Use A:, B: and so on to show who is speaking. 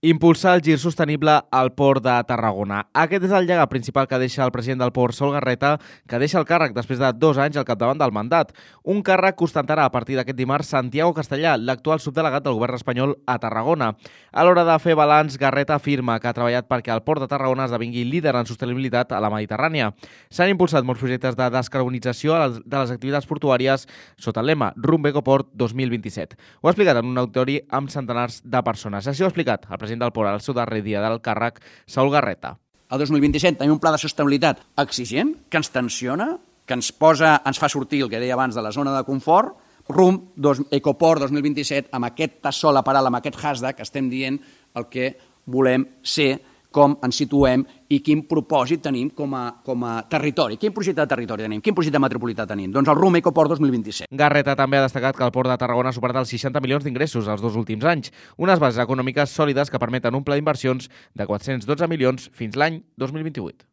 A: Impulsar el gir sostenible al Port de Tarragona. Aquest és el llegat principal que deixa el president del Port, Sol Garreta, que deixa el càrrec després de 2 anys al capdavant del mandat. Un càrrec que ostentarà a partir d'aquest dimarts Santiago Castellà, l'actual subdelegat del govern espanyol a Tarragona. A l'hora de fer balanç, Garreta afirma que ha treballat perquè el Port de Tarragona esdevingui líder en sostenibilitat a la Mediterrània. S'han impulsat molts projectes de descarbonització de les activitats portuàries sota el lema Rumb Ecoport 2027. Ho ha explicat en un auditori amb centenars de persones. Així ho ha explicat el president del Port al seu darrer dia del càrrec, Saúl Garreta.
B: El 2027 tenim un pla de sostenibilitat exigent, que ens tensiona, que ens fa sortir, el que deia abans, de la zona de confort, rumb Ecoport 2027, amb aquest tassó lateral, amb aquest hashtag, estem dient el que volem ser, com ens situem i quin propòsit tenim com a territori. Quin projecte de territori tenim? Quin projecte metropolità tenim? Doncs el rumb Ecoport 2027.
A: Garreta també ha destacat que el Port de Tarragona ha superat els 60 milions d'ingressos els 2 últims anys, unes bases econòmiques sòlides que permeten un pla d'inversions de 412 milions fins l'any 2028.